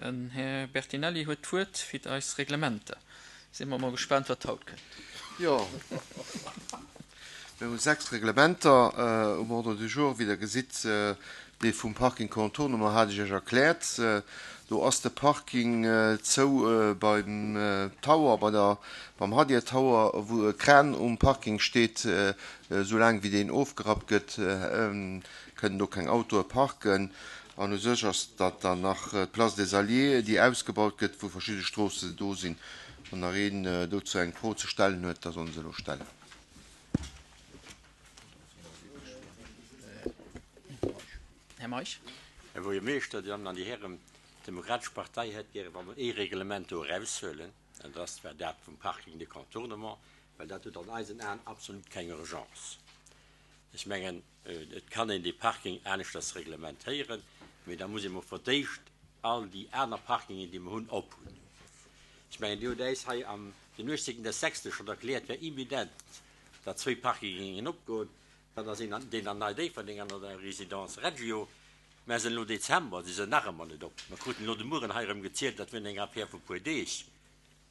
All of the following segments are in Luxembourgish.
Den Här Bertinelli huet d'Wuert fir eis Reglementer. Si mer mol gespaant, wat haut kënnt. Jo, mir hu 6 Reglementer um Ordre du jour. Wéi Der gesitt, dee vum Parking Contournement hat ech Iech erkläert. Do ass de Parking zou beim Tower, bei der, beim Hadir Tower, wou e Kran um Parking steet. Soulaang wéi deen ofgerappt gëtt, kënnen do keng Autoe parken. An u sech ass dat dann nach d'Place des Alliés, déi ausgebaut gëtt, wou verschidde Stroosse do sinn. Wann nach een dozou eng Fro ze stellen huet, da soll en se elo stellen. Här Meisch. Här Buergermeeschter, Dir Dammen an Dir Hären, d'Demokratesch Partei hätt gäre wa mer ee Reglement do eraushuelen, an dat ass zwar dat vum Parking de contournement, well dat huet an eisen Aen absolut keng Urgence. Ech mengen, et kann een dee Parking aneschters reglementéieren, mee da muss ee mol fir d'éischt all déi aner Parkingen, déi mer hunn, ophunn. Ech mengen, Dir hutt äis hei am den 18. des sechste schonn erkläert, wär imminent, datt zwéi Parkinge géingen opgoen. Dat ass een, deen an Nei-Déifferdeng an an der Résidence Reggio. Mä sinn elo Dezember, si sinn nach ëmmer net op. Mer kruten elo de Mueren hei erëm gezielt, dat wier eng Affaire vu puer Deeg.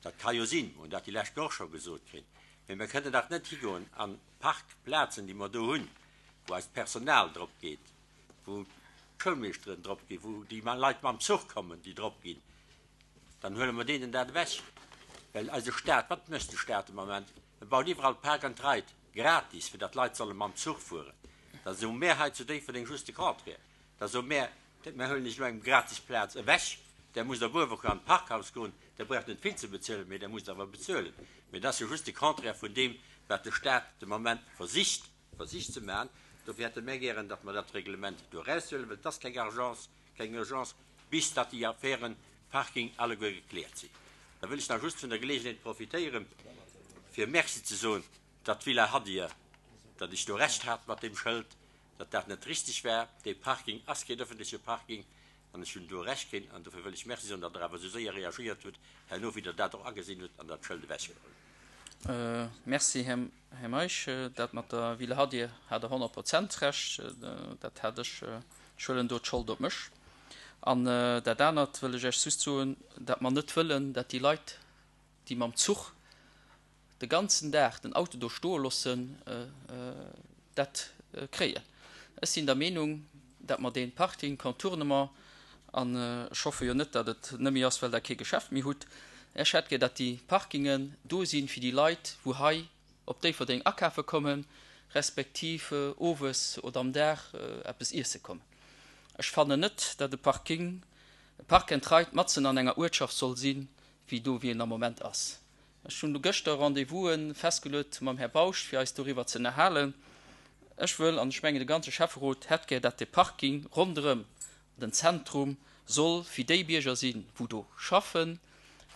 Dat ka jo sinn, mer hunn dat déi lescht Woch scho gesot kritt, mee mer kënnen dach net higoen an d'Parkplazen, déi mer do hunn, wou eist Personal drop geet, wou d'Schoulmeeschteren drop ginn, wou déi Leit mam Zuch kommen, déi drop ginn, dann huele mer deenen dat ewech. Well eise Staat, wat mécht de Staat de Moment? E baut iwwerall Park and Ride, gratis, fir datt d'Leit solle mam Zuch fueren. Da soe mär hei zu Déifferdeng just de Contraire. Da soe mär, Mär huelen iech elo eng gratis Plaz ewech, där musst op Uewerkuer an d'Parkhaus goen, där braucht net vill ze bezuelen, mee där musst awer bezuelen. Mee dat ass jo just de Contraire vun deem, wat de Staat de Moment versicht, versicht ze maachen. Dofir hätte mär gären, datt mer dat Reglement do eraushuelen, well et ass keng Argence, keng Urgence, bis datt déi Affären Parking alleguer gekläert sinn. Da wëll ech nach just vun der Geleegenheet profitéieren, fir Merci ze soen, datt d'Villa Hadir, datt ech do Recht hat mat deem Schëld, datt dat net richtig war. Dee Parking ass keen öffentleche Parking an ech hunn do Recht keen. An dofir wëll ech Merci soen, datt Der awer esou séier reagéiert hutt herno, wéi Der dat och agesinn hutt an dat Schëld ewechgeholl hutt. Merci, Här Meisch. Dat mat der Villa Hadir hat Der 100 Prozent Recht. Dat hat ech, ech huelen do d'Schold op mech. An dat anert wëll ech Iech just soen, datt mer net wëllen, datt déi Leit, déi mam Zuch de ganzen Dag den Auto do stoe loossen, dat kréien. Ech sinn der Meenung, dat mer dee Parking contournement, an ech hoffe jo net, datt et nëmme ass, well Der kee Geschäft méi hutt, ech hätt gär, datt déi Parkingen do sinn, fir déi Leit, wou hei op Déifferdeng akafe kommen, respektiv owes oder am Dag eppes iesse kommen. Ech fannen net, datt e Parking, e Park and Ride matzen an enger Uertschaft soll sinn, wéi do, wéi en am Moment ass. Ech hunn gëschter Rendez-vous'en festgeluet mam Här Bausch, fir eis doriwwer ze ënnerhalen. Ech wëll, an ech mengen de ganze Schäfferot hätt gär, dat de Parking ronderëm den Zentrum soll fir déi Bierger sinn, wou do schaffen,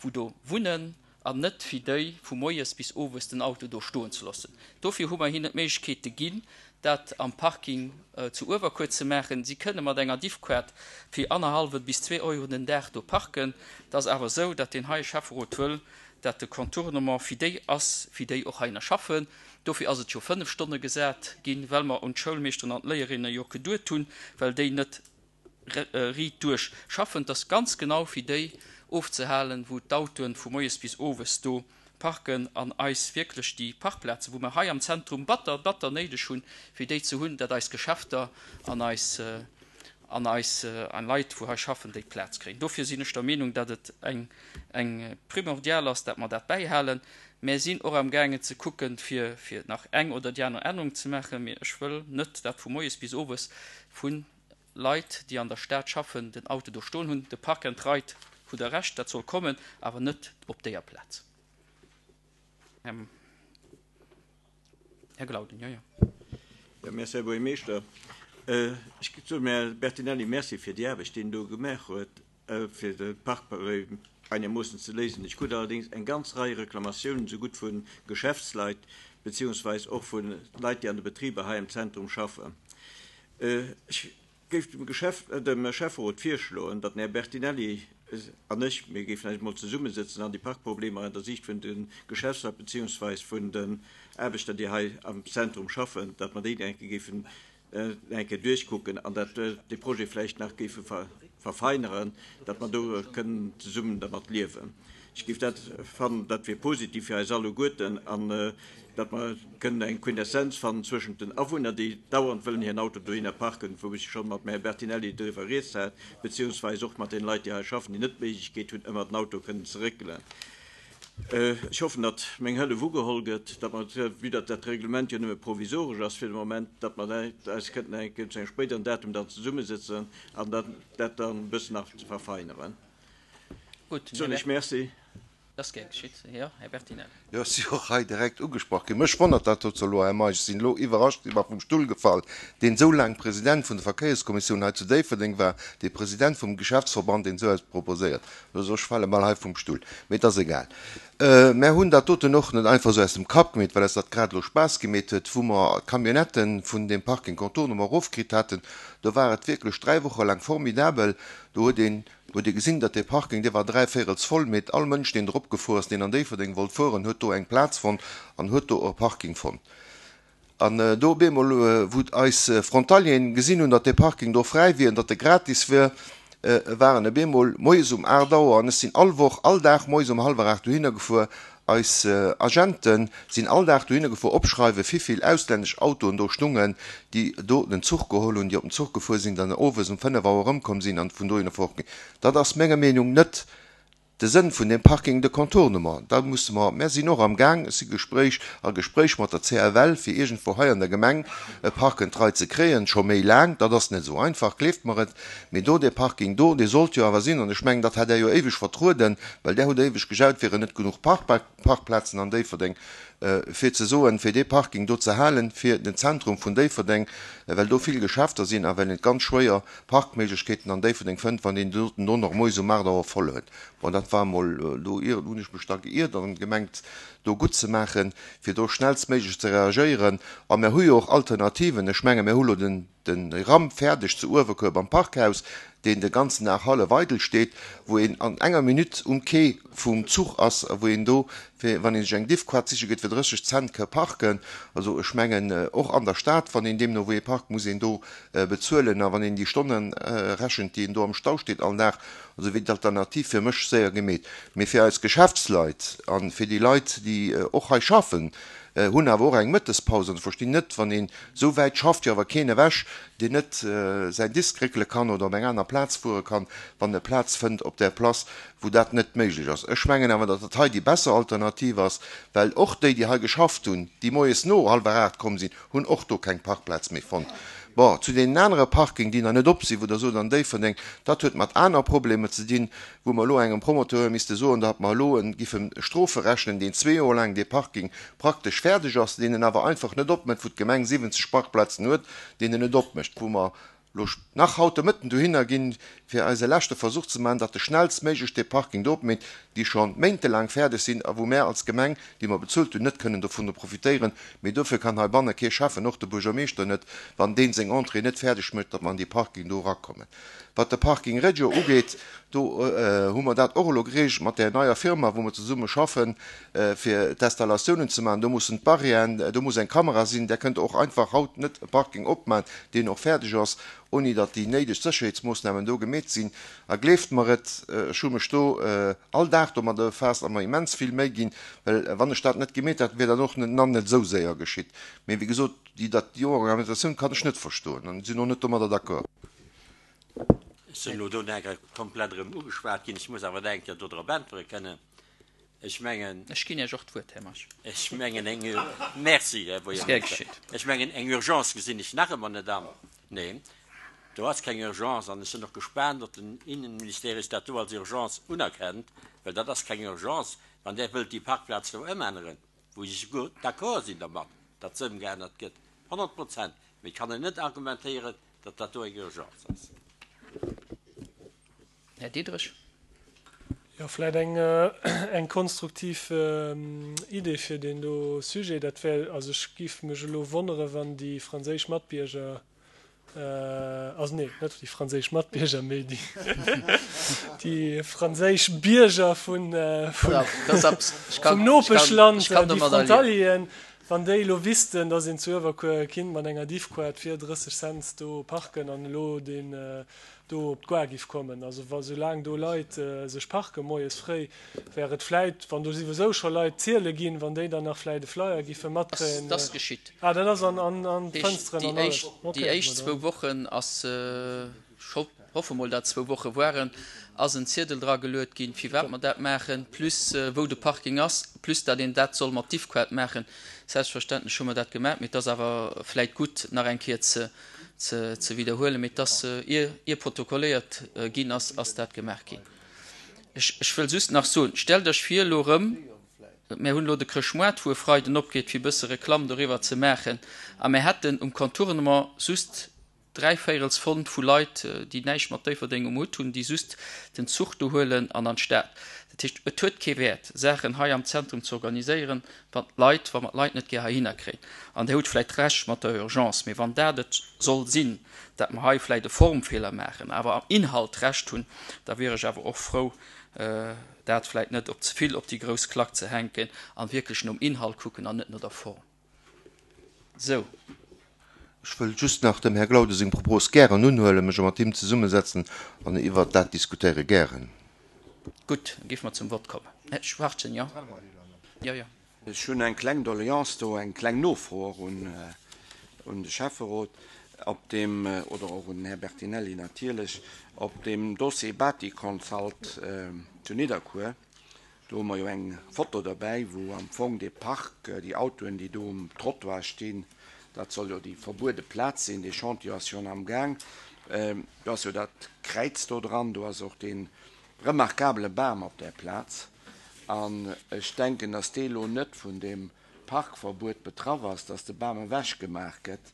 wou do wunnen, an net fir déi vu moies bis owes den Auto do stoen ze loossen. Dofir hu mer hinnen d'Méiglechkeete ginn, dat am Parking zu Uewerkuer ze maachen. Si kënne mat enger Diffkaart fir annerhallwe bis zwee Euro den Dag do parken. Et ass awer esou, datt deen heie Schäfferot wëll, datt de Contournement fir déi ass, fir déi och heihinner schaffen. Dofir ass et jo 5 Stonne gesat ginn, well mer un d'Schoulmeeschteren an d'Léierinne jo geduet hunn, well déi net riit duerch schaffen. Et ass ganz genau fir déi ofzehalen, wou d'Autoen vu moies bis owes do parken an eis wierklech déi Parkplazen, wou mer hei am Zentrum batter, batter néideg hunn, fir déi ze hunn, dat eis Geschäfter an eis an eis Leit, wou hei schaffen, déi Plaz kréien. Dofir sinn ech der Meenung, dat et eng eng primordial ass, dat mer dat bäihalen. Mär sinn och amgaangen ze kucken, fir fir nach eng oder déi aner Ännerung ze maachen, mee ech wëll net, dat vu moies bis owes vu Leit, déi an der Stad schaffen, den Auto do stoen hunn. De Park and Ride, hutt Der Recht, dat soll kommen, awer net op déier Plaz. Här Glauden, jo, jo. Jo, merci, Här Buergermeeschter. Ech soen dem Här Bertinelli Merci fir déi Aarbecht, déi en do gemaach huet, fir de Parkproblem einermoossen ze léisen. Ech krut allerdéngs eng ganz Rei Reklamatiounen, sougutt vu Geschäftsleit beziehungsweis och vu Leit, déi an de Betriber hei am Zentrum schaffen. Ech géif dem Geschäft, dem Schäfferot virschloen, datt den Här Bertinelli an ech, mir géifen eis emol zesummesëtzen an déi Parkproblemer an der Siicht vun de Geschäftsleit beziehungsweis vun den Aarbechter, déi hei am Zentrum schaffen, datt mer déi eng Kéier géifen eng Kéier duerchkucken an dat dee Projet vläicht nach géife. verfeineren, datt mer do kënnen zesummen dermat liewen. Ech géif dat fannen, dat wier positiv fir eis alleguerten an datt mer kënnen eng Quintessenz fannen zwëschent den Awunner, déi dauernd wëllen hiren Auto dohinner parken, wou ech scho mat dem Här Bertinelli driwwer rieds hat, beziehungsweis och mat deene Leit, déi hei schaffen, déi net d'Méiglechkeet hunn, ëmmer den Auto kënnen ze réckelen. Ech hoffen, datt meng Hëllef ugeholl gëtt, datt mer, vue datt dat Reglement jo nëmme provisoresch ass fir de Moment, datt mer eis kënnten eng Kéier zu engem spéideren Datum dann zesummesëtzen an dann dat dann e bëssen nach ze verfeineren. Gutt, Soen ech Merci. Dat ass gär geschitt. Jo, Här Bertinelli. Jo, ech si och hei direkt ugesprach ginn. Mech wonnert dat dozou elo, Här Meisch. Ech sinn elo iwwerrascht, si mer vum Stull gefall, deen esou laang President vun der Verkéierskommissioun hei zu Déifferdeng war, dee President vum Geschäftsverband, deen esou eppes proposéiert. Also ech fale mol hei vum Stull, mee et ass egal. Mär hunn dat doten och net einfach esou aus dem Kapp gemeet, well eis dat grad elo Spaass gemeet huet. Wou mer d'Camionnetten vun deem Parking Contournement erofkritt haten, do war et wierklech dräi Woche laang formidabel. Do huet een, huet ee gesinn, datt dee Parking, dee war dräivéierels voll, mee all Mënsch, deen drop gefuer ass, deen an Déifferdeng wollt fueren, huet do eng Plaz fonnt an huet do e Parking fonnt. An do op eemol, wou eis Frontalieren gesinn hunn, datt dee Parking do fräi wier an datt e gratis wier, waren op eemol moies um 8 Auer, an ech sinn all Woch, all Dag moies um hallwer 8 dohinner gefuer, eis Agente sinn all Dag dohinner gefuer, opschreiwen, wivill auslännesch Autoen do stungen, déi do den Zuch geholl hunn, déi op den Zuch gefuer sinn, dann owes um 5 Auer erëmkomm sinn an vun dohinner fortginn. Dat ass menger Meenung net De Sënn vun deem Parking de contournement, da musse mer, mär sinn och am Gaang, ech si Gespréich, a Gespréich mat der CFL, fir iergendwou hei an der Gemeng e Park and Ride ze kréien, scho méi laang, dat ass net esou einfach, gleeft mer et, mee do, dee Parking do, dee sollt jo awer sinn, an ech mengen, dat hat Der jo éiweg vertrueden, well Der hutt éiweg gejaut, et wieren net genuch Parkplazen an Déifferdeng, fir ze soen, fir dee Parking do ze halen, fir den Zentrum vun Déifferdeng, well do vill Geschäfter sinn a well een et ganz schwéier Parkméiglechkeeten an Déifferdeng fënnt, wann een doten do nach moies um 8 Auer voll huet. Bon, dat war emol, do hunn ech mech da geiert an gemengt, do gutt ze maachen, fir do schnellstméiglech ze reagéieren. A mer hu jo och Alternativen. Ech menge mir hu lo den. Den Ram fäerdeg zu Uewerkuer beim Parkhaus, deen de ganzen Dag hallef eidel steet, wou een an enger Minutt um Quai vum Zuch ass a wou een do, fir wann ee sech eng Diffquart siche geet, fir 30 Cent ka parken. Also ech mengen, och an der Stad, wann een deemno wou ee parkt, muss een do bezuelen. A wann een déi Stonne rechent, déi een do am Stau steet all Dag, also wier d'Alternativ fir mech séier gemeet. Mee fir eis Geschäftsleit a fir déi Leit, déi och hei schaffen, hunn awer och eng Mëttespaus an ech verstinn net, wann een esou wäit schafft jo awer keen ewech, deen net säin Disk réckele kann oder op eng aner Plaz fuere kann, wann e Plaz fënnt op där Place, wou dat net méiglech ass. Ech mengen awer, datt dat hei déi besser Alternativ ass, well och déi, déi hei geschafft hunn, déi moies no hallwer 8 komm sinn, hunn och do keng Parkplaz méi fonnt. Bon, zu deenen anere Parking, déi nach net op sinn, wou Der sot an Déifferdeng, dat huet mat aner Problemer ze dinn, wou mer elo engem Promoteur misste soen, datt mer elo e giffen Strofe rechnen, deen zwee Joer laang dee Parking praktesch fäerdeg ass, deen en awer einfach net opmécht, wou d'Gemeng 70 Parkplazen huet, deen en net opmécht, wou mer elo nach haut de Mëtten dohinner ginn, fir eise leschte Versuch ze maachen, datt e schnellstméiglech dee Parking do opmécht, déi scho méintelaang fäerdeg sinn a wou mär als Gemeng, déi mer bezuelt hunn, net kënnen dovunner profitéieren. Mee dofir kann heibanne kee Schäffen, och de Buergermeeschter net, wann dee seng Entrée net fäerdeg mécht, datt mer an dee Parking do erakommen. Wat de Parking Regio ugeet, do hu mer dat och elo gereegelt mat där neier Firma, wou mer zesumme schaffen, fir d'Installatiounen ze maachen. Do mussen d'Barrièren, do muss eng Kamera sinn. Där kënnt och einfach haut net e Parking opmachen, deen och fäerdeg ass, ouni datt déi néideg Sécherheetsmoossnamen do gemeet sinn. A gleeft mer et, ech hu mech do all Dag domadder befaasst a mer immens vill Méi ginn, well wann ech dat net gemeet hätt, wier dat och net nach net esou séier geschitt. Mee wéi gesot, déi dat déi Argumentatioun kann ech net verstoen an sinn och net domadder d'accord. Ech sinn elo do nach komplett erëm ugeschwat ginn. Ech muss awer nach eng Kéier do drop äntwere kënnen. Ech mengen. Ech ginn Iech och d'Wuert, Här Meisch. Ech mengen eng, Merci, Här Buergermeeschter. Ech mengen eng Urgence gesinn ech nach ëmmer net an. Neen, do ass keng Urgence an ech sinn och gespaant, ob den Innenministerius dat do als Urgence unerkennt, well dat ass keng Urgence, wann där wëllt déi Parkplaz do ëmänneren. wou ech esouguer d'accord sinn dermat, datt se ëmgeännert gëtt, 100 Prozent, mee et kann een net argumentéieren, datt dat do eng Urgence ass. Här Diderich. Jo, vläicht eng konstruktiv Idee fir deen do Sujet, dat wär, also ech géif mech elo wonnere wann déi franséisch Matbierger, Also nee, net déi franséisch Matbierger, mee déi, déi franséisch Bierger vun, vum Nopeschland, déi Frontalieren. Wann déi elo wüssten, dass een zu Uewerkuer kinnt mat enger Diffquart fir 30 Cents do parken an elo deen do op d'Gare giff kommen, also wa soulaang do Leit sech parken moies fréi, wär et vläit, wann do souwisou scho Leit ziele ginn, wann déi dann nach vläit e Flyer giffe matkréien. Dat ass geschitt. Ah, dat ass an an d'Fënsteren an alles. Déi éischt zwou Wochen ass Ech hoffe mol, dat zwou Woche waren, ass en Ziedel dra geluet ginn, firwat mer dat maachen, plus wou de Parking ass, plus dat een dat soll mat Diffquart maachen. Selbstverständlech hu mer dat gemaach, mee et ass awer vläit gutt, nach eng Kéier ze ze widderhuelen. Mee et ass, ier ier protokolléiert ginn ass, ass dat gemaach ginn. Ech ech wëll just nach soen, stellt Iech vir elo erëm, mär hunn elo de Chrëschtmoart, wou e Freiden opgeet, fir e bësse Reklamm doriwwer ze maachen, a mär hätten um Contournement just Dräivéierels Fond vu Leit, déi näischt mat Déifferdeng um Hutt hunn, déi just den Zuch do huelen an an d'Stad. Dat heescht, et huet kee Wäert, Saachen hei am Zentrum ze organiséieren, wann d'Leit, wa mer d'Leit net gär heihinner kréien. An Dir hutt vläicht Recht mat der Urgence, mee wann dat et soll sinn, dat mer hei vläicht e Formfeeler maachen, awer am Inhalt Recht hunn, da wier ech awer och frou, dat vläicht net op ze vill op déi grouss Klack ze hänken an wierklech nom Inhalt kucken an net no der Form. Sou. Ech wëll just nach dem Här Glauden seng Propos gären unhuelen, mech mat him zesummesetzen an iwwert dat diskutéiere gären. Gutt, da géife mer zum Vott kommen. Här Schwachtgen, jo? Jo, jo. Ech hunn eng kleng Doleance do, eng kleng Nofro och un de Schäfferot op deem, oder och un den Här Bertinelli natierlech, op deem Dossier Bâti-Consult zu Nidderkuer. Do hu mer jo eng Foto derbäi, wou am Fong dee Park, déi Autoen, déi do um Trottoir stinn, dat soll jo déi verbuede Plaz sinn, dee Chantier ass schonn am Gaang. Do ass jo dat Kräiz do dran, do ass och dee remarkabele Bam op där Plaz. An ech denken, datt dee elo net vun deem Parkverbuet betraff ass, datt de Bam ewechgemaach gëtt,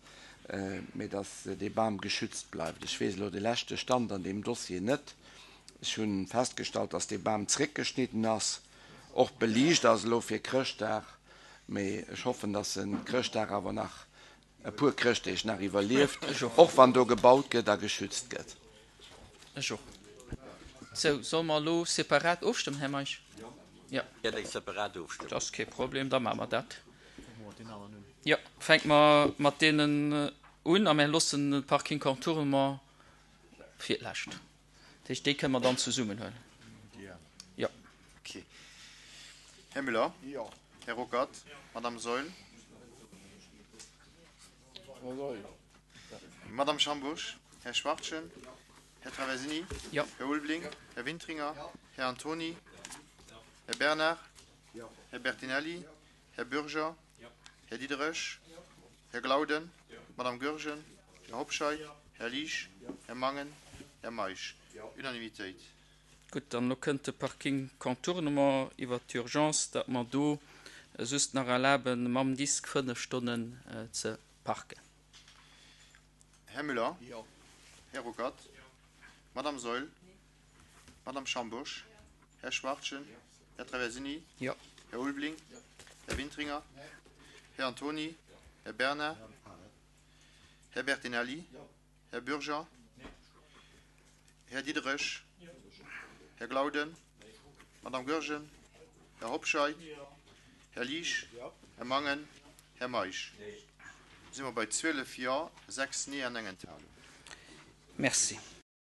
mee datt dee Bam geschützt bleift. Ech weess elo de leschte Stand an deem Dossier net. Ech hunn festgestallt, dass dee Bam zréckgeschnidden ass, och beliicht ass elo fir Chrëschtdag, mee ech hoffen, dass en Chrëschtdag awer nach e puer Chrëschtdeeg nach iwwerlieft, och wann do gebaut gëtt a geschützt gëtt. Ech och. Sou, solle mer elo separat ofstëmmen, Här Meisch? Jo. Gär eng separat Ofstëmmung. Dat ass kee Problem, da maache mer dat. Jo, fänke mer mat deenen un a mir loossen de Parking Contournement fir d'lescht. Dat heescht, déi kënne mer dann zesummen huelen. Jo. Okay. Här Müller? Jo. Här Ruckert? Jo. Madame Saeul? Madame Schambusch? Här Schwachtgen? Här Traversini? Jo. Här Ulveling? Här Wintringer? Här Antony? Här Bernard? Här Bertinelli? Här Bürger? Här Diderich? Här Glauden? Madame Goergen? Här Hobscheit? Här Liesch? Här Mangen? Här Meisch? Unanimitéit. Gutt, dann elo kënnt de Parking Contournement iwwert d'Urgence, datt mer do just nach erlaben, mam Disk 5 Stonnen ze parken. Här Müller? Här Ruckert? Madame Saeul? Madame Schambourg? Här Schwachtgen? Här Traversini? Jo. Här Ulveling? Här Wintringer? Här Antony? Här Bernard? Här Bertinelli? Här Bürger? Här Diderich? Här Glauden? Madame Goergen? Här Hobscheit? Här Liesch? Här Mangen? Här Meisch? Si mer bei 12 Jo, 6 Nee an eng Enthalung. Merci.